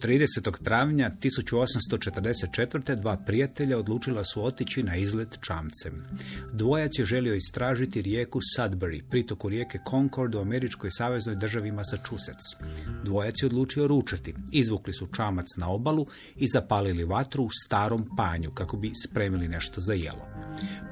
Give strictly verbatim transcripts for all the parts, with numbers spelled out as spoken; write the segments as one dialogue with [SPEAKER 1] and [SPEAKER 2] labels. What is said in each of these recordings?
[SPEAKER 1] tridesetog travnja tisuću osamsto četrdeset četvrte. dva prijatelja odlučila su otići na izlet čamcem. Dvojac je želio istražiti rijeku Sudbury, pritoku rijeke Concord u američkoj saveznoj državi Massachusetts. Dvojac je odlučio ručati. Izvukli su čamac na obalu i zapalili vatru u starom panju kako bi spremili nešto za jelo.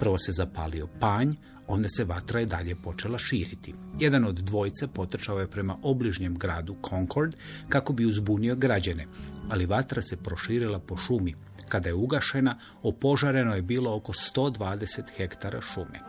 [SPEAKER 1] Prvo se zapalio panj, onda se vatra i dalje počela širiti. Jedan od dvojice potrčao je prema obližnjem gradu Concord kako bi uzbunio građane, ali vatra se proširila po šumi. Kada je ugašena, opožareno je bilo oko sto dvadeset hektara šume.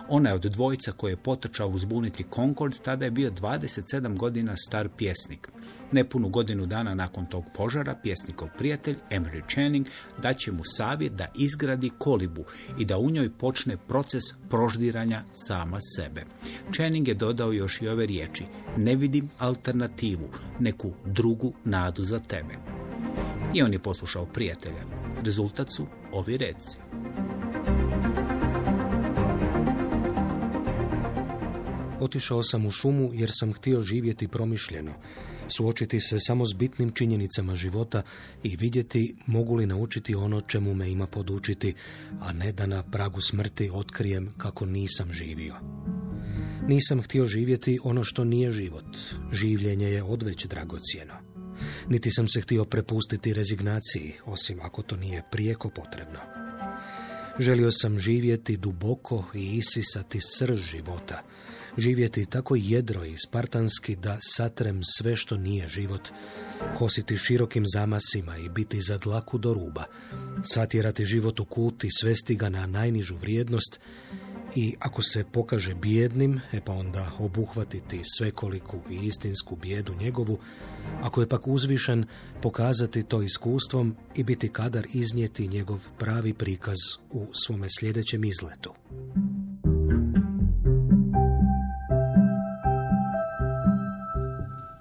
[SPEAKER 1] Onaj od dvojica koji je potrčao uzbuniti Concord tada je bio dvadeset sedam godina star pjesnik. Nepunu godinu dana nakon tog požara, pjesnikov prijatelj Emery Channing daće mu savjet da izgradi kolibu i da u njoj počne proces proždiranja sama sebe. Channing je dodao još i ove riječi: ne vidim alternativu, neku drugu nadu za tebe. I on je poslušao prijatelja. Rezultat su ovi reci.
[SPEAKER 2] Otišao sam u šumu jer sam htio živjeti promišljeno, suočiti se samo s bitnim činjenicama života i vidjeti mogu li naučiti ono čemu me ima podučiti, a ne da na pragu smrti otkrijem kako nisam živio. Nisam htio živjeti ono što nije život. Življenje je odveć dragocjeno. Niti sam se htio prepustiti rezignaciji, osim ako to nije prijeko potrebno. Želio sam živjeti duboko i isisati srž života, živjeti tako jedro i spartanski da satrem sve što nije život, kositi širokim zamasima i biti za dlaku do ruba, satjerati život u kut i svesti ga na najnižu vrijednost i ako se pokaže bijednim, e pa onda obuhvatiti svekoliku i istinsku bijedu njegovu, ako je pak uzvišen, pokazati to iskustvom i biti kadar iznijeti njegov pravi prikaz u svome sljedećem izletu.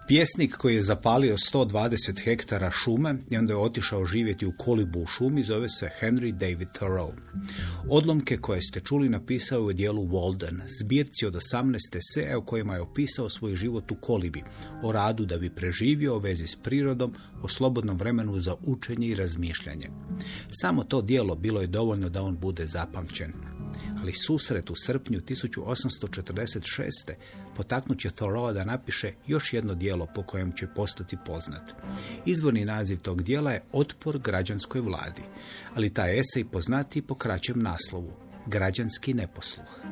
[SPEAKER 1] Pjesnik koji je zapalio sto dvadeset hektara šume i onda je otišao živjeti u kolibu u šumi zove se Henry David Thoreau. Odlomke koje ste čuli napisao je u dijelu Walden, zbirci od osamnaest eseja u kojima je opisao svoj život u kolibi, o radu da bi preživio, o vezi s prirodom, o slobodnom vremenu za učenje i razmišljanje. Samo to djelo bilo je dovoljno da on bude zapamćen. Ali susret u srpnju tisuću osamsto četrdeset šeste. potaknut će Thoreaua da napiše još jedno djelo po kojem će postati poznat. Izvorni naziv tog djela je Otpor građanskoj vladi, ali taj esej poznati po kraćem naslovu Građanski neposluh.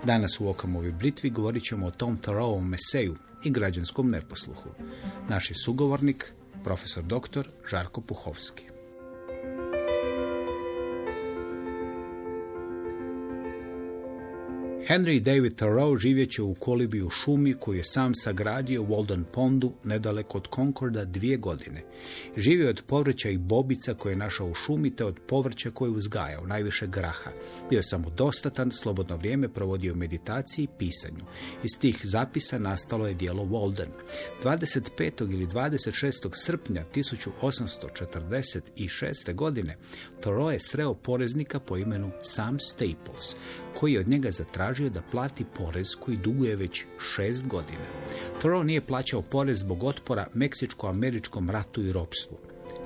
[SPEAKER 1] Danas u Okamovoj britvi govorit ćemo o tom Thoreauovom eseju i građanskom neposluhu. Naš je sugovornik, profesor doktor Žarko Puhovski. Henry David Thoreau živjet će u kolibi u šumi koju je sam sagradio u Walden Pondu, nedaleko od Concorda, dvije godine. Živio od povrća i bobica koje je našao u šumi, te od povrća koje je uzgajao, najviše graha. Bio je samodostatan, slobodno vrijeme provodio u meditaciji i pisanju. Iz tih zapisa nastalo je djelo Walden. dvadeset petog ili dvadeset šestog srpnja tisuću osamsto četrdeset šeste. godine Thoreau je sreo poreznika po imenu Sam Staples, koji je od njega zatražio da plati porez koji duguje već šest godina. Thoreau nije plaćao porez zbog otpora Meksičko-američkom ratu i ropstvu.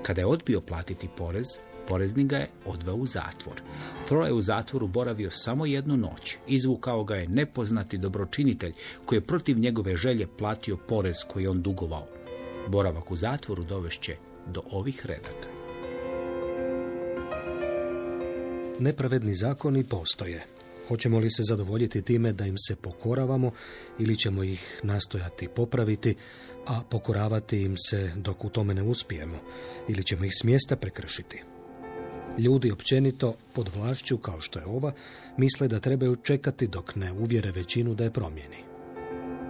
[SPEAKER 1] Kada je odbio platiti porez, poreznik ga je odveo u zatvor. Thoreau je u zatvoru boravio samo jednu noć. Izvukao ga je nepoznati dobročinitelj koji je protiv njegove želje platio porez koji je on dugovao. Boravak u zatvoru dovešće do ovih redaka.
[SPEAKER 2] Nepravedni zakoni postoje. Hoćemo li se zadovoljiti time da im se pokoravamo ili ćemo ih nastojati popraviti, a pokoravati im se dok u tome ne uspijemo, ili ćemo ih s mjesta prekršiti? Ljudi općenito pod vlašću kao što je ova misle da trebaju čekati dok ne uvjere većinu da je promijeni.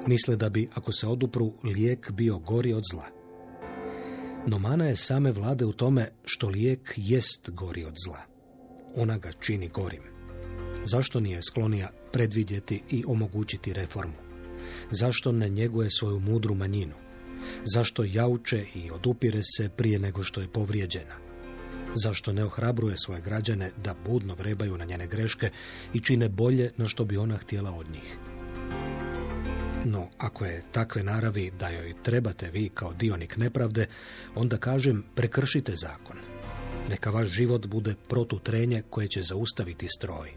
[SPEAKER 2] Misle da bi, ako se odupru, lijek bio gori od zla. No mana je same vlade u tome što lijek jest gori od zla. Ona ga čini gorim. Zašto nije sklonija predvidjeti i omogućiti reformu? Zašto ne njeguje svoju mudru manjinu? Zašto jauče i odupire se prije nego što je povrijeđena? Zašto ne ohrabruje svoje građane da budno vrebaju na njene greške i čine bolje no što bi ona htjela od njih? No, ako je takve naravi da joj trebate vi kao dionik nepravde, onda kažem prekršite zakon. Neka vaš život bude protutrenje koje će zaustaviti stroj.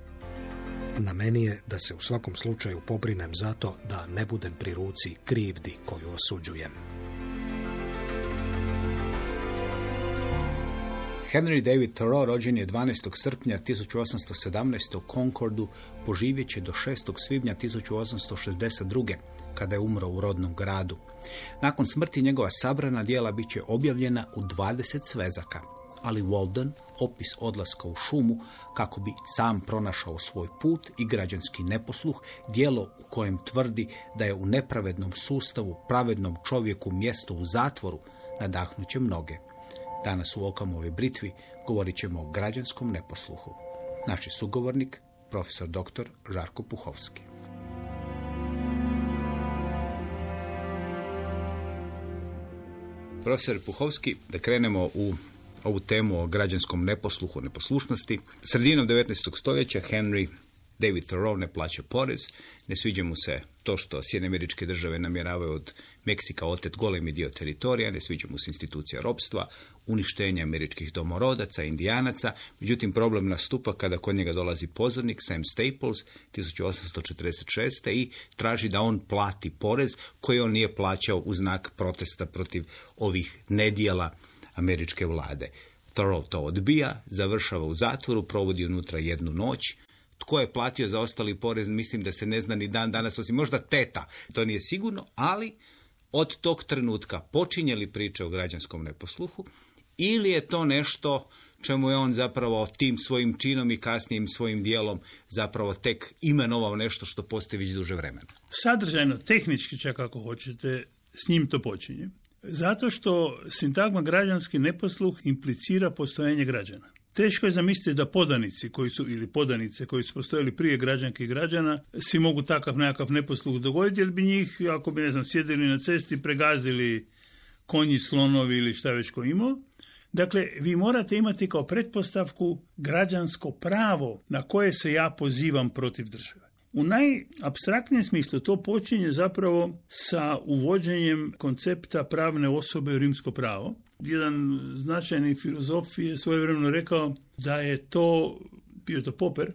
[SPEAKER 2] Na meni je da se u svakom slučaju pobrinem za to da ne budem pri ruci krivdi koju osuđujem.
[SPEAKER 1] Henry David Thoreau rođen je dvanaestog srpnja tisuću osamsto sedamnaeste u Concordu, poživjet će do šestog svibnja tisuću osamsto šezdeset druge kada je umro u rodnom gradu. Nakon smrti njegova sabrana djela bit će objavljena u dvadeset svezaka, ali Walden, opis odlaska u šumu kako bi sam pronašao svoj put i građanski neposluh, djelo u kojem tvrdi da je u nepravednom sustavu pravednom čovjeku mjesto u zatvoru, nadahnuće mnoge. Danas u Okamovoj britvi govorit ćemo o građanskom neposluhu. Naš je sugovornik, profesor doktor Žarko Puhovski. Profesor Puhovski, da krenemo u ovu temu o građanskom neposluhu, neposlušnosti. Sredinom devetnaestog stoljeća Henry David Thoreau ne plaća porez, ne sviđa mu se to što Sjedinjene Američke Države namjeravaju od Meksika otet golemi dio teritorija, ne sviđa mu se institucija ropstva, uništenje američkih domorodaca, indijanaca. Međutim, problem nastupa kada kod njega dolazi pozornik Sam Staples tisuću osamsto četrdeset šeste i traži da on plati porez koji on nije plaćao u znak protesta protiv ovih nedjela američke vlade. Thoreau to odbija, završava u zatvoru, provodi unutra jednu noć. Tko je platio za ostali porez, mislim da se ne zna ni dan danas, osim možda teta. To nije sigurno, ali od tog trenutka počinje li priča o građanskom neposluhu ili je to nešto čemu je on zapravo tim svojim činom i kasnijim svojim dijelom zapravo tek imenovao nešto što postoji već duže vremena?
[SPEAKER 3] Sadržajno, tehnički čak ako hoćete, s njim to počinje. Zato što sintagma građanski neposluh implicira postojanje građana. Teško je zamisliti da podanici koji su, ili podanice koji su postojali prije građanke i građana, si mogu takav nekakav neposluh dogoditi, jer bi njih, ako bi, ne znam, sjedili na cesti, pregazili konji, slonovi ili šta već ko imao. Dakle, vi morate imati kao pretpostavku građansko pravo na koje se ja pozivam protiv države. U najapstraktnijem smislu to počinje zapravo sa uvođenjem koncepta pravne osobe u rimsko pravo. Jedan značajni filozof je svojevremeno rekao da je to, bio to Popper,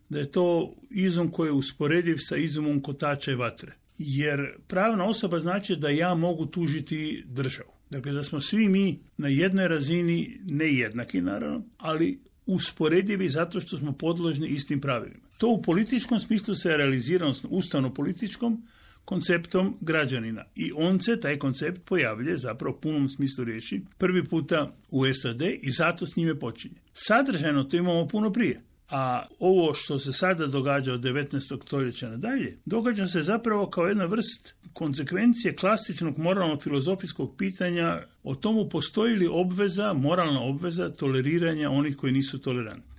[SPEAKER 3] da je to izum koji je usporediv sa izumom kotača i vatre. Jer pravna osoba znači da ja mogu tužiti državu. Dakle, da smo svi mi na jednoj razini, ne jednaki naravno, ali usporedivi zato što smo podložni istim pravilima. To u političkom smislu se realizira, odnosno ustavno-političkom konceptom građanina. I on se, taj koncept, pojavlja zapravo u punom smislu riječi prvi puta u S A D i zato s njime počinje. Sadržajno to imamo puno prije. A ovo što se sada događa od devetnaestog stoljeća nadalje, događa se zapravo kao jedna vrst konsekvencije klasičnog moralno-filozofijskog pitanja o tomu postoji li obveza, moralna obveza toleriranja onih koji nisu tolerantni.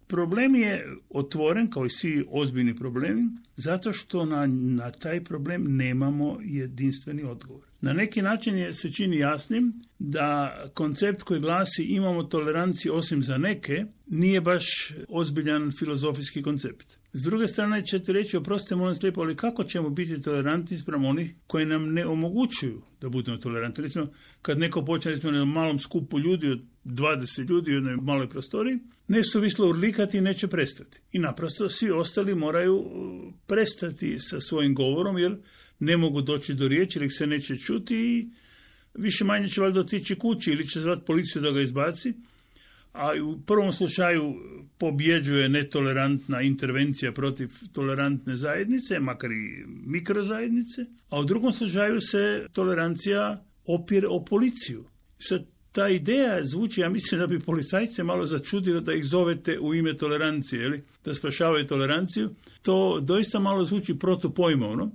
[SPEAKER 3] Problem je otvoren, kao i svi ozbiljni problemi, zato što na, na taj problem nemamo jedinstveni odgovor. Na neki način je, se čini jasnim da koncept koji glasi imamo toleranciju osim za neke, nije baš ozbiljan filozofijski koncept. S druge strane ćete reći, oprostite molim slijepo, ali kako ćemo biti tolerantni spram onih koji nam ne omogućuju da budemo tolerantni? Recimo, kad neko počne recimo, na malom skupu ljudi od dvadeset ljudi u jednoj maloj prostoriji, nesuvislo urlikati i neće prestati. I naprosto svi ostali moraju prestati sa svojim govorom, jer ne mogu doći do riječi, jer ih se neće čuti i više manje će valjda otići kući ili će zvati policiju da ga izbaci. A u prvom slučaju pobjeđuje netolerantna intervencija protiv tolerantne zajednice, makar i mikrozajednice, a u drugom slučaju se tolerancija opire o policiju. Sad, ta ideja zvuči, ja mislim da bi policajce malo začudilo da ih zovete u ime tolerancije, jeli? Da spašavaju toleranciju. To doista malo zvuči protupojmovno.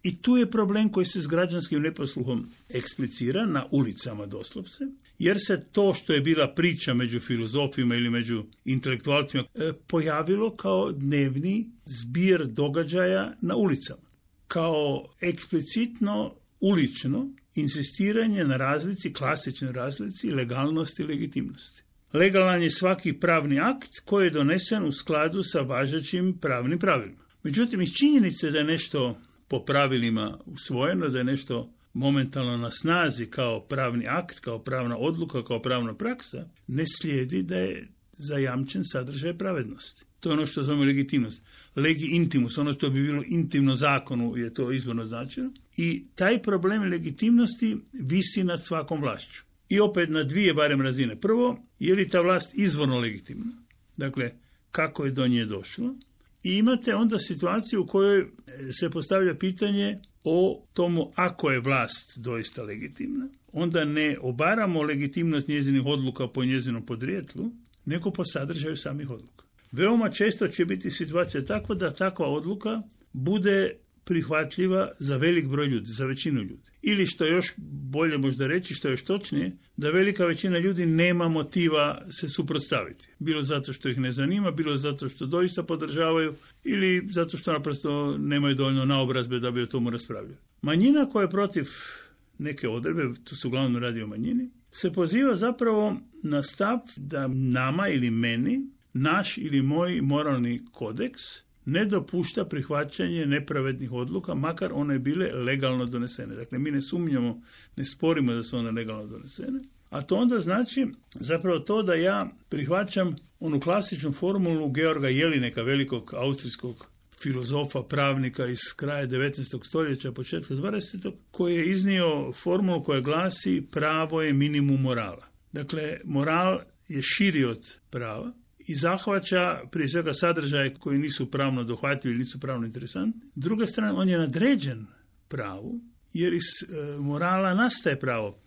[SPEAKER 3] I tu je problem koji se s građanskim neposluhom eksplicira na ulicama doslovce, jer se to što je bila priča među filozofima ili među intelektualcima pojavilo kao dnevni zbir događaja na ulicama. Kao eksplicitno ulično insistiranje na razlici, klasičnoj razlici, legalnosti i legitimnosti. Legalan je svaki pravni akt koji je donesen u skladu sa važećim pravnim pravilima. Međutim, iz činjenice da je nešto po pravilima usvojeno, da je nešto momentalno na snazi kao pravni akt, kao pravna odluka, kao pravna praksa, ne slijedi da je zajamčen sadržaj pravednosti. To je ono što zovemo legitimnost. Legi intimus, ono što bi bilo intimno zakonu, je to izvorno značeno. I taj problem legitimnosti visi nad svakom vlašću. I opet na dvije barem razine. Prvo, je li ta vlast izvorno legitimna? Dakle, kako je do nje došlo? I imate onda situaciju u kojoj se postavlja pitanje o tomu ako je vlast doista legitimna, onda ne obaramo legitimnost njezinih odluka po njezinom podrijetlu, nego po sadržaju samih odluka. Veoma često će biti situacija takva da takva odluka bude prihvatljiva za velik broj ljudi, za većinu ljudi. Ili što još bolje možda reći, što je još točnije, da velika većina ljudi nema motiva se suprotstaviti. Bilo zato što ih ne zanima, bilo zato što doista podržavaju ili zato što naprosto nemaju dovoljno naobrazbe da bi o tomu raspravljali. Manjina koja je protiv neke odredbe, tu se uglavnom radi o manjini, se poziva zapravo na stav da nama ili meni, naš ili moj moralni kodeks ne dopušta prihvaćanje nepravednih odluka, makar one bile legalno donesene. Dakle, mi ne sumnjamo, ne sporimo da su one legalno donesene, a to onda znači zapravo to da ja prihvaćam onu klasičnu formulu Georga Jelineka, velikog austrijskog filozofa, pravnika iz kraja devetnaestog stoljeća, početka dvadesetog, koji je iznio formulu koja glasi pravo je minimum morala. Dakle, moral je širi od prava i zahvaća prije svega sadržaje koji nisu pravno dohvatljivi, nisu pravno interesantni. S druge strane, on je nadređen pravu, jer iz e, morala nastaje pravo.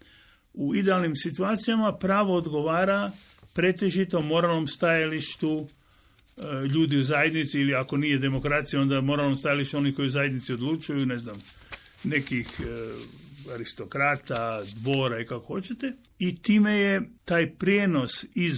[SPEAKER 3] U idealnim situacijama pravo odgovara pretežito moralnom stajalištu e, ljudi u zajednici, ili ako nije demokracija, onda moralnom stajalištu oni koji u zajednici odlučuju, ne znam, nekih e, aristokrata, dvora i kako hoćete. I time je taj prijenos iz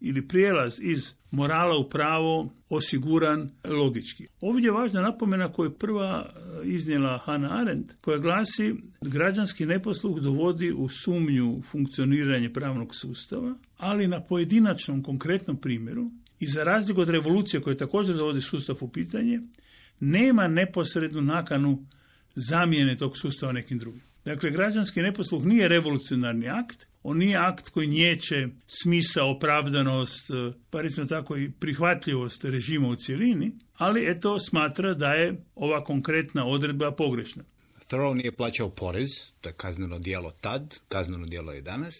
[SPEAKER 3] ili prijelaz iz morala u pravo osiguran logički. Ovdje je važna napomena koju je prva iznijela Hannah Arendt, koja glasi građanski neposluh dovodi u sumnju funkcioniranje pravnog sustava, ali na pojedinačnom konkretnom primjeru i za razliku od revolucije koja također dovodi sustav u pitanje, nema neposrednu nakanu zamjene tog sustava nekim drugim. Dakle, građanski neposluh nije revolucionarni akt, on nije akt koji niječe smisao, opravdanost, pa recimo tako i prihvatljivost režima u cjelini, ali eto smatra da je ova konkretna odredba pogrešna.
[SPEAKER 1] Thoreau nije plaćao porez, to je kazneno djelo tad, kazneno djelo je danas.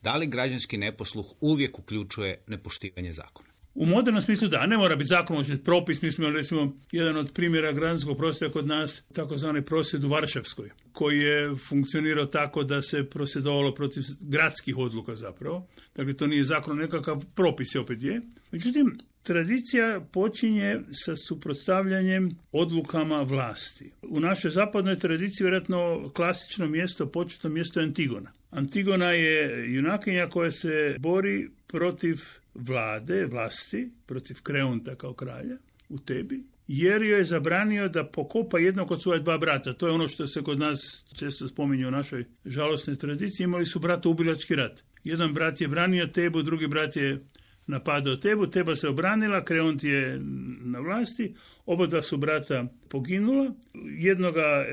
[SPEAKER 1] Da li građanski neposluh uvijek uključuje nepoštivanje zakona?
[SPEAKER 3] U modernom smislu da, ne mora biti zakon, može biti propis. Mi smo recimo jedan od primjera građanskog prosvjeda kod nas, takozvani prosvjed u Varšavskoj, koji je funkcionirao tako da se prosvjedovalo protiv gradskih odluka zapravo. Dakle, to nije zakon, nekakav propis je opet je. Međutim, tradicija počinje sa suprotstavljanjem odlukama vlasti. U našoj zapadnoj tradiciji vjerojatno klasično mjesto, početno mjesto je Antigona. Antigona je junakinja koja se bori protiv vlade, vlasti, protiv Kreonta kao kralja u Tebi, jer joj je zabranio da pokopa jednog od svoje dva brata. To je ono što se kod nas često spominje u našoj žalosnoj tradiciji. Imali su bratoubilački rat. Jedan brat je branio Tebu, drugi brat je napadao Tebu, Teba se obranila, Kreont je na vlasti, oba dva su brata poginula. Jednoga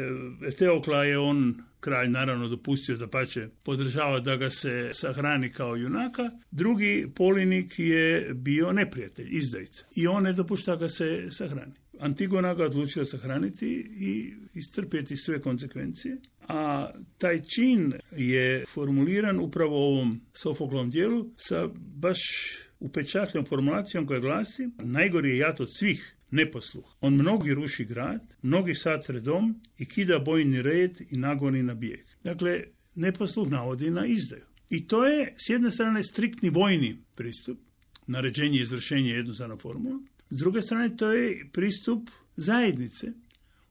[SPEAKER 3] Eteokla je on, kralj, naravno dopustio da pače podržava da ga se sahrani kao junaka. Drugi, Polinik, je bio neprijatelj, izdajica. I on ne dopušta ga se sahrani. Antigona ga odlučila sahraniti i istrpjeti sve konsekvencije. A taj čin je formuliran upravo u ovom Sofoklovom dijelu sa baš upečatljom formulacijom koja glasi: najgori je jad od svih neposluh. On mnogi ruši grad, mnogi satre dom i kida bojni red i nagoni na bijeg. Dakle, neposluh navodi na izdaju. I to je s jedne strane striktni vojni pristup, naređenje i izvršenje jednostavna formula. S druge strane, to je pristup zajednice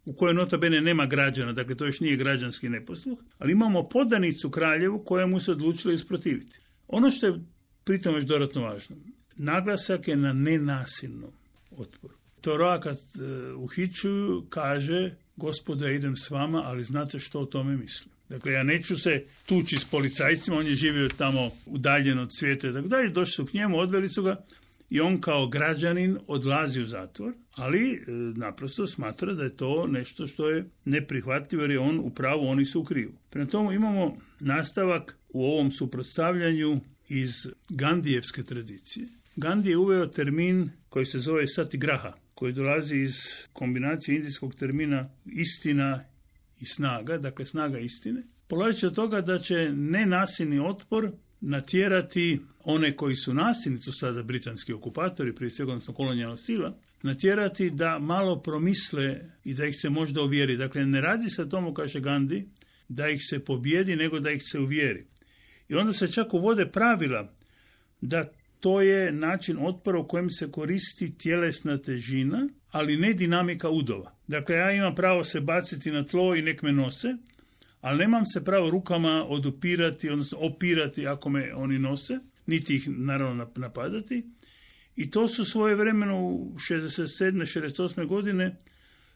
[SPEAKER 3] u kojoj nota bene nema građana, dakle to još nije građanski neposluh, ali imamo podanicu kraljevu kojemu se odlučilo isprotiviti. Ono što je pritom još dodatno važno, naglasak je na nenasilnom otporu. Thoreau kad e, uhićuju kaže: gospodo, ja idem s vama, ali znate što o tome mislim. Dakle, ja neću se tući s policajcima, on je živio tamo udaljen od svijeta i tako dalje, došli su k njemu, odveli su ga i on kao građanin odlazi u zatvor, ali e, naprosto smatra da je to nešto što je neprihvatljivo jer je on u pravu, oni su u krivu. Prema tomu imamo nastavak u ovom suprotstavljanju iz Gandijevske tradicije. Gandhi je uveo termin koji se zove satigraha, koji dolazi iz kombinacije indijskog termina istina i snaga, dakle snaga istine. Polazeći od toga da će nenasilni otpor natjerati one koji su nasilni, to su sada britanski okupatori, prije svega odnosno kolonijalna sila, natjerati da malo promisle i da ih se možda uvjeri. Dakle, ne radi se o tomu, kaže Gandhi, da ih se pobjedi, nego da ih se uvjeri. I onda se čak uvode pravila da to je način otpora u kojem se koristi tjelesna težina, ali ne dinamika udova. Dakle, ja imam pravo se baciti na tlo i nek me nose, ali nemam se pravo rukama odupirati, odnosno opirati ako me oni nose, niti ih naravno napadati. I to su svojevremeno u šezdeset sedme šezdeset osme godine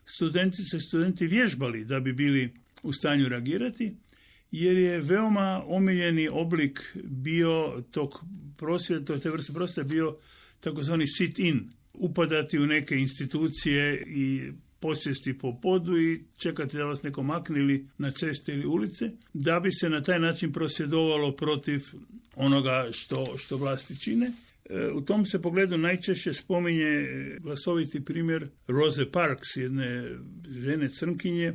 [SPEAKER 3] studentice i studenti vježbali da bi bili u stanju reagirati, jer je veoma omiljeni oblik bio tog prosvjeda, te vrste prosvjeda bio takozvani sit-in, upadati u neke institucije i posjesti po podu i čekati da vas neko makne ili na ceste ili ulice, da bi se na taj način prosvjedovalo protiv onoga što, što vlasti čine. E, u tom se pogledu najčešće spominje glasoviti primjer Rose Parks, jedne žene crnkinje,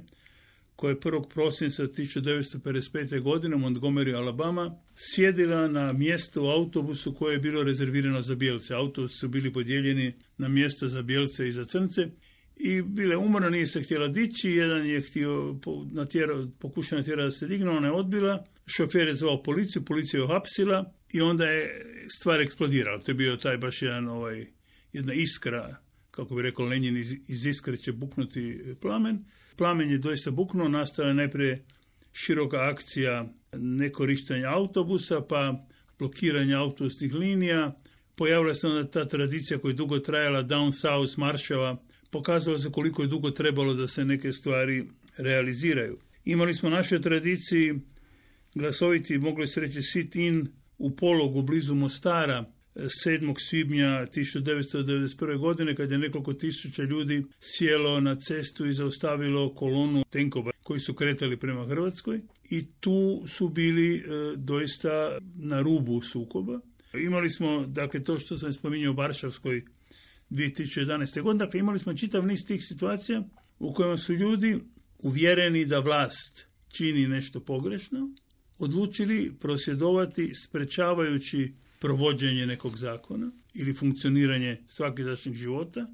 [SPEAKER 3] koja je prvog prosinca tisuću devetsto pedeset pete. godine u Montgomery, Alabama, sjedila na mjesto u autobusu koje je bilo rezervirano za bijelce. Autobusi su bili podijeljeni na mjesta za bijelce i za crnce i bila je umorna, nije se htjela dići, jedan je htio natjera, pokušao natjerati da se digne, ona je odbila, šofer je zvao policiju, policija je uhapsila i onda je stvar eksplodirala. To je bio taj baš jedan, ovaj, jedna iskra, kako bi rekao Lenin, iz, iz iskre će buknuti plamen. Plamen je doista buknuo, nastala je najprije široka akcija nekorištenja autobusa, pa blokiranja autobusnih linija. Pojavila se onda ta tradicija koja je dugo trajala, down south marševa, pokazalo se koliko je dugo trebalo da se neke stvari realiziraju. Imali smo u našoj tradiciji glasoviti, mogli se reći sit-in u Pologu blizu Mostara, sedmog svibnja tisuću devetsto devedeset prve. godine, kad je nekoliko tisuća ljudi sjelo na cestu i zaustavilo kolonu tenkova koji su kretali prema Hrvatskoj i tu su bili e, doista na rubu sukoba. Imali smo, dakle, to što sam spominjao u Varšavskoj dvije tisuće jedanaeste. godine, dakle, imali smo čitav niz tih situacija u kojima su ljudi uvjereni da vlast čini nešto pogrešno, odlučili prosvjedovati sprečavajući provođenje nekog zakona ili funkcioniranje svakidašnjeg života,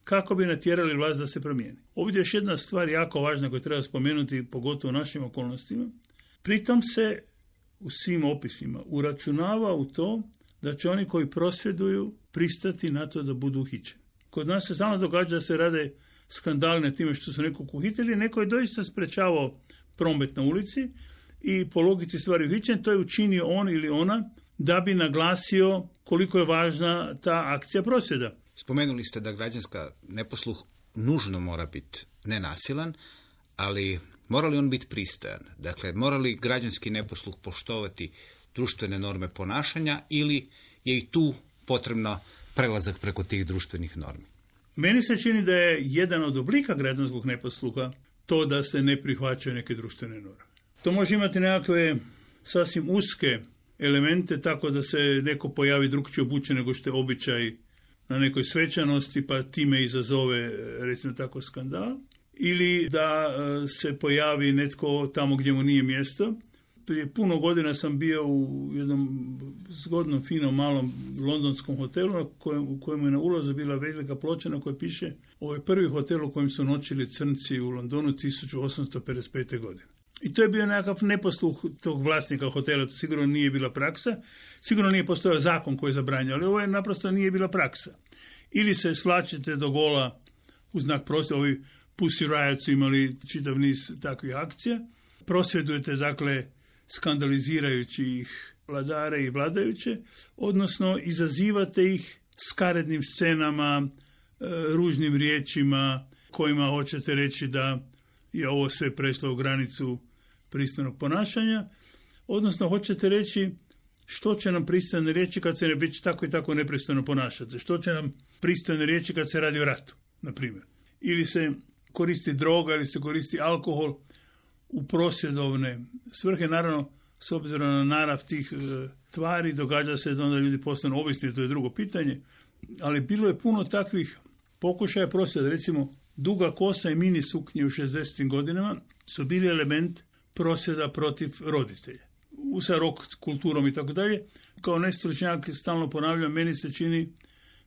[SPEAKER 3] kako bi natjerali vlast da se promijeni. Ovdje je još jedna stvar jako važna koju treba spomenuti, pogotovo u našim okolnostima. Pritom se u svim opisima uračunava u to da će oni koji prosvjeduju pristati na to da budu uhićeni. Kod nas se stalno događa da se rade skandali na time što su nekog uhitili, neko je doista sprečavao promet na ulici i po logici stvari uhićen, to je učinio on ili ona da bi naglasio koliko je važna ta akcija prosvjeda.
[SPEAKER 1] Spomenuli ste da građanska neposluh nužno mora biti nenasilan, ali mora li on biti pristojan? Dakle, mora li građanski neposluh poštovati društvene norme ponašanja ili je i tu potrebno prelazak preko tih društvenih normi?
[SPEAKER 3] Meni se čini da je jedan od oblika građanskog neposluha to da se ne prihvaćaju neke društvene norme. To može imati nekakve sasvim uske elemente, tako da se neko pojavi drukčije obučen nego što je običaj na nekoj svečanosti, pa time izazove, recimo tako, skandal. Ili da se pojavi netko tamo gdje mu nije mjesto. Prije puno godina sam bio u jednom zgodnom, finom, malom londonskom hotelu u kojemu je na ulazu bila velika ploča na kojoj piše: ovo je prvi hotel u kojem su noćili crnci u Londonu tisuću osamsto pedeset pete. godine. I to je bio nekakav neposluh tog vlasnika hotela, to sigurno nije bila praksa, sigurno nije postojao zakon koji je zabranjao, ali ovo je naprosto nije bila praksa. Ili se slačite do gola u znak prosvjeda, ovi Pussy Riot su imali čitav niz takvih akcija, prosvjedujete, dakle, skandalizirajući ih vladare i vladajuće, odnosno izazivate ih skarednim scenama, ružnim riječima kojima hoćete reći da je ovo sve prešlo u granicu pristojnog ponašanja, odnosno hoćete reći što će nam pristojne riječi kad se ne već tako i tako nepristojno ponašati, što će nam pristojne riječi kad se radi o ratu, na primjer. Ili se koristi droga, ili se koristi alkohol u prosvjedovne svrhe. Naravno, s obzirom na narav tih e, tvari, događa se da onda ljudi postanu ovisni, to je drugo pitanje, ali bilo je puno takvih pokušaja prosvjeda. Recimo, duga kosa i mini suknje u šezdesetim godinama su bili element prosvjeda protiv roditelja. U sa rock kulturom i tako dalje. Kao nestručnjak stalno ponavljam, meni se čini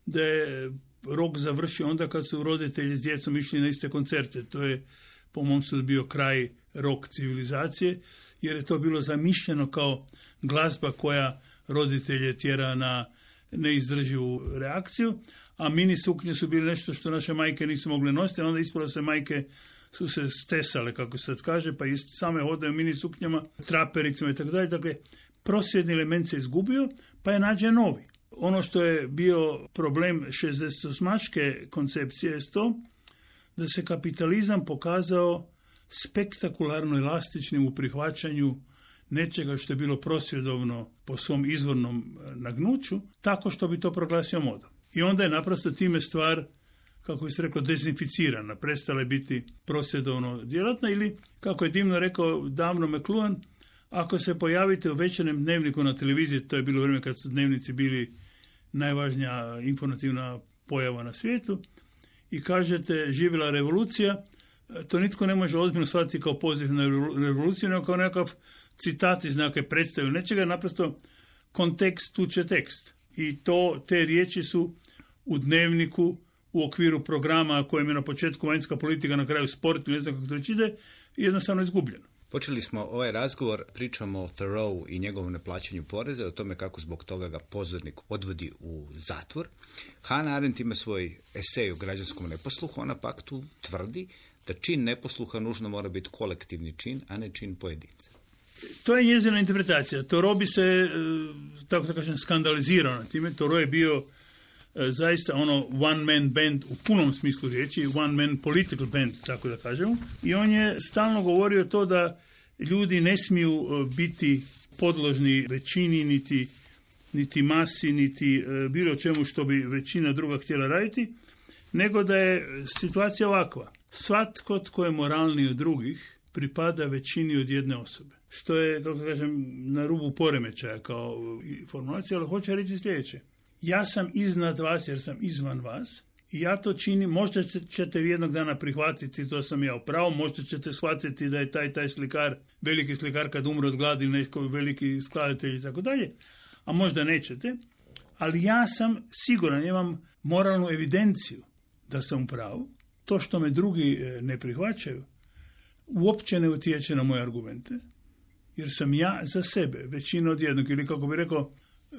[SPEAKER 3] da je rock završio onda kad su roditelji s djecom išli na iste koncerte. To je, po mom sudu, bio kraj rock civilizacije, jer je to bilo zamišljeno kao glazba koja roditelje tjera na neizdrživu reakciju, a mini suknje su bile nešto što naše majke nisu mogle nositi, a onda ispalo se majke su se stesale, kako se sad kaže, pa i same hodaju mini suknjama, trapericama i tako dalje. Dakle, prosvjedni element se izgubio, pa je nađen novi. Ono što je bio problem šezdesetosmaške koncepcije je to da se kapitalizam pokazao spektakularno elastičnim u prihvaćanju nečega što je bilo prosvjedovno po svom izvornom nagnuću, tako što bi to proglasio modom. I onda je naprosto time stvar, kako bi se reklo, dezinficirana, prestala je biti prosvjedovno djelatna, ili, kako je divno rekao davno McLuhan, ako se pojavite u večernjem dnevniku na televiziji, to je bilo vrijeme kad su dnevnici bili najvažnija informativna pojava na svijetu, i kažete živjela revolucija, to nitko ne može ozbiljno shvatiti kao poziv na revoluciju, nego kao nekakav citat iz nekakve predstave nečega, naprosto kontekst tuče tekst. I to, te riječi su u dnevniku, u okviru programa kojem je na početku vanjska politika, na kraju sport, ne znam kako to već ide, jednostavno izgubljeno.
[SPEAKER 1] Počeli smo ovaj razgovor, pričamo o Thoreau i njegovom neplaćanju poreza, o tome kako zbog toga ga pozornik odvodi u zatvor. Hannah Arendt ima svoj esej o građanskom neposluhu, ona pak tu tvrdi da čin neposluha nužno mora biti kolektivni čin, a ne čin pojedinca.
[SPEAKER 3] To je njezina interpretacija. Thoreau bi se, tako da kažem, skandalizirao na time. Thoreau je bio zaista ono one man band u punom smislu riječi, one man political band, tako da kažemo. I on je stalno govorio to da ljudi ne smiju biti podložni većini, niti, niti masi, niti bilo čemu što bi većina druga htjela raditi, nego da je situacija ovakva. Svatko tko je moralniji od drugih pripada većini od jedne osobe. Što je, kako kažem, na rubu poremećaja kao formulacija, ali hoće reći sljedeće. Ja sam iznad vas jer sam izvan vas i ja to činim, možda ćete jednog dana prihvatiti, to sam ja upravo, možda ćete shvatiti da je taj taj slikar, veliki slikar kad umre od gladi, neki veliki skladatelj i tako dalje, a možda nećete, ali ja sam siguran, imam moralnu evidenciju da sam upravo. To što me drugi ne prihvaćaju uopće ne utječe na moje argumente, jer sam ja za sebe većina od jednog, ili kako bi rekao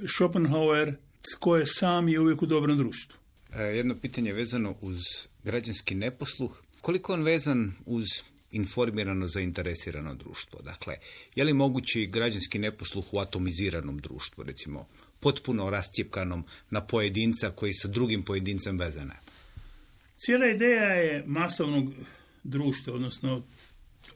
[SPEAKER 3] Schopenhauer, tko je sam je uvijek u dobrom društvu.
[SPEAKER 1] E, jedno pitanje vezano uz građanski neposluh. Koliko on vezan uz informirano, zainteresirano društvo? Dakle, je li mogući građanski neposluh u atomiziranom društvu, recimo potpuno rascjepkanom na pojedinca koji sa drugim pojedincem vezana?
[SPEAKER 3] Cijela ideja je masovnog društva, odnosno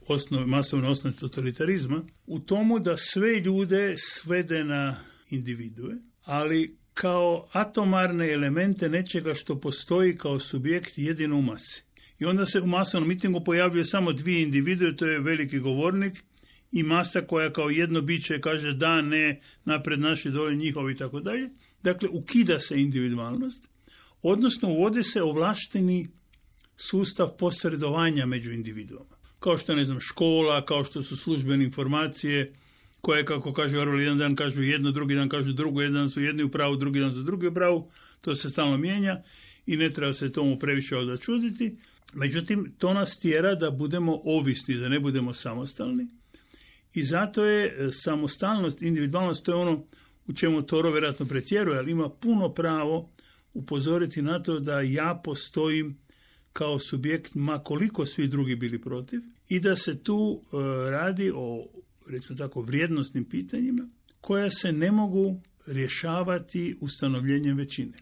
[SPEAKER 3] osnove, masovne osnove totalitarizma, u tomu da sve ljude svede na individue, ali kao atomarne elemente nečega što postoji kao subjekt jedino u masi. I onda se u masovnom mitingu pojavljuje samo dvije individue, to je veliki govornik i masa koja kao jedno biće kaže da, ne, napred naši, dole njihovi i tako dalje. Dakle, ukida se individualnost, odnosno uvodi se ovlašteni sustav posredovanja među individuama. Kao što je, ne znam, škola, kao što su službene informacije, koje, kako kaže Orwell, jedan dan kažu jedno, drugi dan kažu drugo, jedan dan su jedni u pravu, drugi dan su drugi u pravu, to se stalno mijenja i ne treba se tomu previše odačuditi. Međutim, to nas tjera da budemo ovisni, da ne budemo samostalni i zato je samostalnost, individualnost, to je ono u čemu Thoreau vjerojatno pretjeruje, ali ima puno pravo upozoriti na to da ja postojim kao subjekt, ma koliko svi drugi bili protiv, i da se tu uh, radi o, recimo tako, vrijednosnim pitanjima koja se ne mogu rješavati ustanovljenjem većine.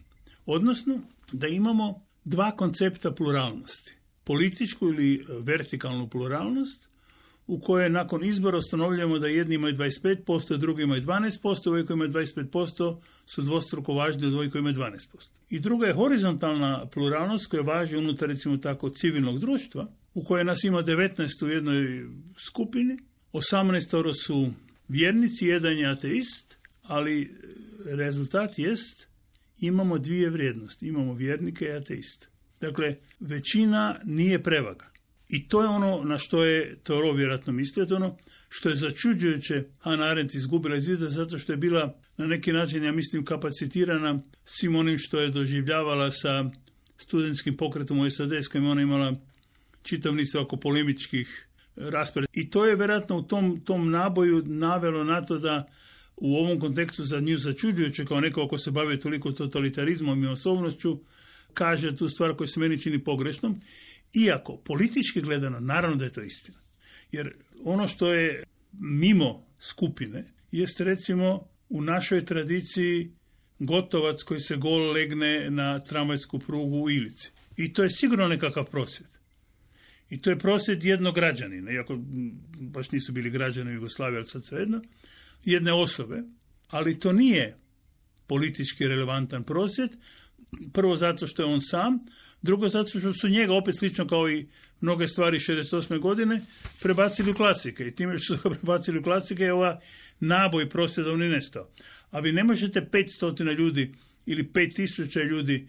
[SPEAKER 3] Odnosno, da imamo dva koncepta pluralnosti. Političku ili vertikalnu pluralnost u kojoj nakon izbora ustanovljujemo da jedni imaju dvadeset pet posto, drugi imaju dvanaest posto, ovi koji imaju dvadeset pet posto su dvostruko važni od ovih koji imaju dvanaest posto. I druga je horizontalna pluralnost koja važi unutar, recimo tako, civilnog društva, u kojoj nas ima devetnaest u jednoj skupini, osamnaest su vjernici, jedan je ateist, ali rezultat jest imamo dvije vrijednosti, imamo vjernike i ateiste. Dakle, većina nije prevaga. I to je ono na što je Thoreau vjerojatno mislio, to ono što je začuđujuće Hannah Arendt izgubila iz vida zato što je bila na neki način, ja mislim, kapacitirana svim onim što je doživljavala sa studentskim pokretom u S A D s kojim ona imala čitav niz oko polemičkih rasprava. I to je vjerojatno u tom, tom naboju navelo na to da u ovom kontekstu za nju začuđujuće kao neko ko se bavi toliko totalitarizmom i osobnošću kaže tu stvar koja se meni čini pogrešnom. Iako, politički gledano, naravno da je to istina. Jer ono što je mimo skupine, jest recimo u našoj tradiciji Gotovac koji se gol legne na tramvajsku prugu u Ilici. I to je sigurno nekakav prosvjed. I to je prosvjed jednog građanina, iako baš nisu bili građani u Jugoslaviji, ali sad svejedno, jedne osobe. Ali to nije politički relevantan prosvjed, prvo zato što je on sam, drugo zato što su njega, opet slično kao i mnoge stvari šezdeset osme godine, prebacili u klasike. I time što su ga prebacili u klasike je ova naboj prosvjedovni nestao. A vi ne možete petsto ljudi ili pet tisuća ljudi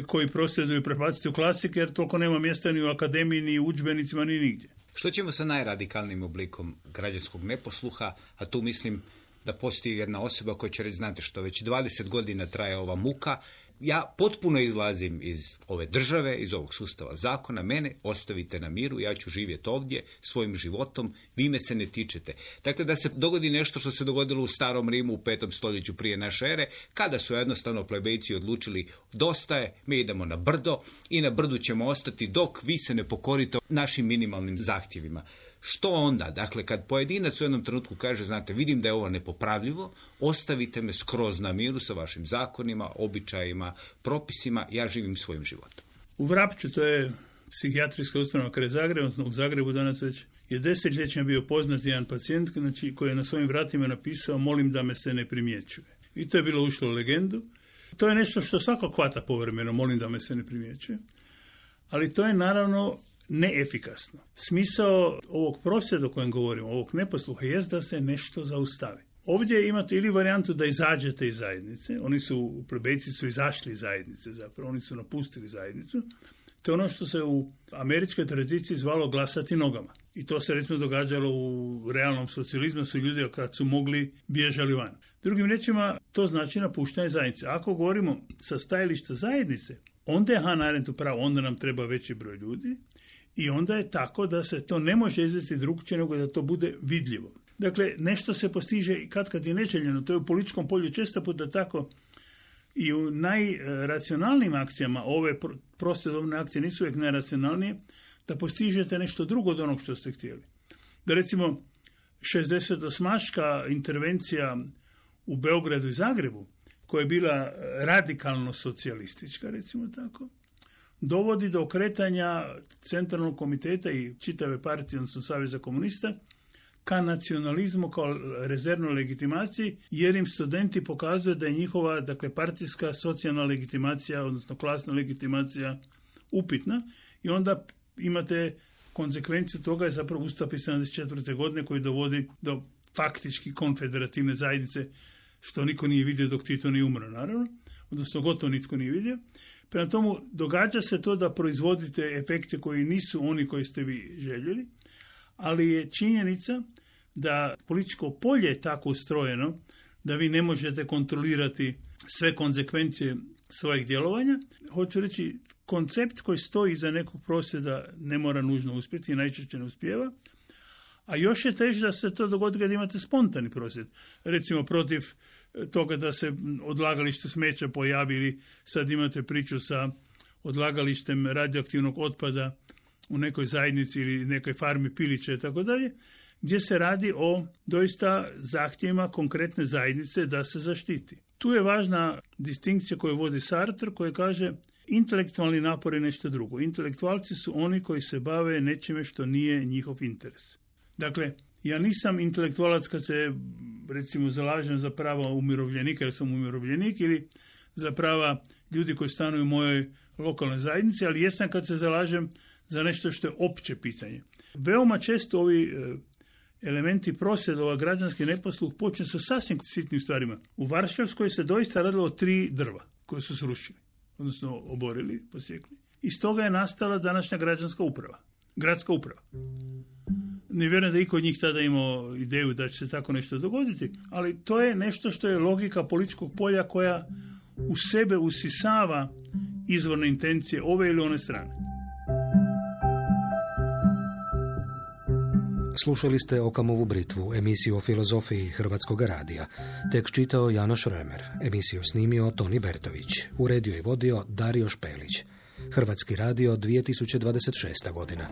[SPEAKER 3] koji prosvjeduju prebaciti u klasike, jer toliko nema mjesta ni u akademiji, ni u udžbenicima, ni nigdje.
[SPEAKER 1] Što ćemo sa najradikalnijim oblikom građanskog neposluha, a tu mislim da postoji jedna osoba koja će reći, znate što, već dvadeset godina traje ova muka, ja potpuno izlazim iz ove države, iz ovog sustava zakona, mene ostavite na miru, ja ću živjeti ovdje svojim životom, vi me se ne tičete. Dakle, da se dogodi nešto što se dogodilo u starom Rimu u petom stoljeću prije naše ere, kada su jednostavno plebejci odlučili dosta je, mi idemo na brdo i na brdu ćemo ostati dok vi se ne pokorite našim minimalnim zahtjevima. Što onda? Dakle, kad pojedinac u jednom trenutku kaže, znate, vidim da je ovo nepopravljivo, ostavite me skroz na miru sa vašim zakonima, običajima, propisima, ja živim svojim životom.
[SPEAKER 3] U Vrapču, to je psihijatrijska ustanova kraj Zagreba, u Zagrebu danas već je desetljećima bio poznat jedan pacijent, znači, koji je na svojim vratima napisao, molim da me se ne primjećuje. I to je bilo ušlo u legendu. To je nešto što svako hvata povremeno, molim da me se ne primjećuje. Ali to je naravno neefikasno. Smisao ovog prosvjeda o kojem govorimo, ovog neposluha, jest da se nešto zaustavi. Ovdje imate ili varijantu da izađete iz zajednice, oni su, plebejci su izašli iz zajednice zapravo, oni su napustili zajednicu, to je ono što se u američkoj tradiciji zvalo glasati nogama. I to se recimo događalo u realnom socijalizmu, su ljudi kad su mogli bježali van. Drugim rečima, to znači napuštanje zajednice. Ako govorimo sa stajališta zajednice, onda je Hannah Arendt upravo, onda nam treba veći broj ljudi, i onda je tako da se to ne može izvesti drugčije nego da to bude vidljivo. Dakle, nešto se postiže i kad kad je neželjeno, to je u političkom polju često puta tako i u najracionalnijim akcijama, ove prosvjedovne akcije nisu uvijek najracionalnije, da postižete nešto drugo od onog što ste htjeli. Da recimo šezdeset osmaška intervencija u Beogradu i Zagrebu, koja je bila radikalno socijalistička, recimo tako, dovodi do okretanja centralnog komiteta i čitave partije, odnosno Saveza komunista, ka nacionalizmu kao rezervnoj legitimaciji, jer im studenti pokazuju da je njihova, dakle, partijska socijalna legitimacija, odnosno klasna legitimacija upitna, i onda imate konsekvenciju toga je zapravo Ustav iz sedamdeset četvrte godine koji dovodi do faktički konfederativne zajednice, što niko nije vidio dok Tito nije umro, naravno, odnosno gotovo nitko nije vidio. Prema tomu, događa se to da proizvodite efekte koji nisu oni koji ste vi željeli, ali je činjenica da političko polje je tako ustrojeno da vi ne možete kontrolirati sve konsekvencije svojih djelovanja. Hoću reći, koncept koji stoji iza nekog prosvjeda ne mora nužno uspjeti i najčešće ne uspijeva, a još je teže da se to dogodi kad imate spontani prosvjed. Recimo protiv toga da se odlagalište smeća pojavi, ili sad imate priču sa odlagalištem radioaktivnog otpada u nekoj zajednici ili nekoj farmi pilića i tako dalje, gdje se radi o doista zahtjevima konkretne zajednice da se zaštiti. Tu je važna distinkcija koju vodi Sartre, koji kaže intelektualni napor je nešto drugo. Intelektualci su oni koji se bave nečime što nije njihov interes. Dakle, ja nisam intelektualac kad se, recimo, zalažem za prava umirovljenika, jer sam umirovljenik, ili za prava ljudi koji stanuju u mojoj lokalnoj zajednici, ali jesam kad se zalažem za nešto što je opće pitanje. Veoma često ovi elementi prosvjedova, građanski neposluh počne sa sasvim sitnim stvarima. U Varšavskoj se doista radilo o tri drva koje su srušili, odnosno oborili, posjekli. Iz toga je nastala današnja građanska uprava, gradska uprava. Ne vjerujem da iko od njih tada imao ideju da će se tako nešto dogoditi, ali to je nešto što je logika političkog polja koja u sebe usisava izvorne intencije ove ili one strane.
[SPEAKER 2] Slušali ste Okamovu britvu, emisiju o filozofiji Hrvatskog radija. Tekst čitao Janoš Römer, emisiju snimio Toni Bertović, uredio i vodio Dario Špelić. Hrvatski radio dvije tisuće dvadeset šesta godina.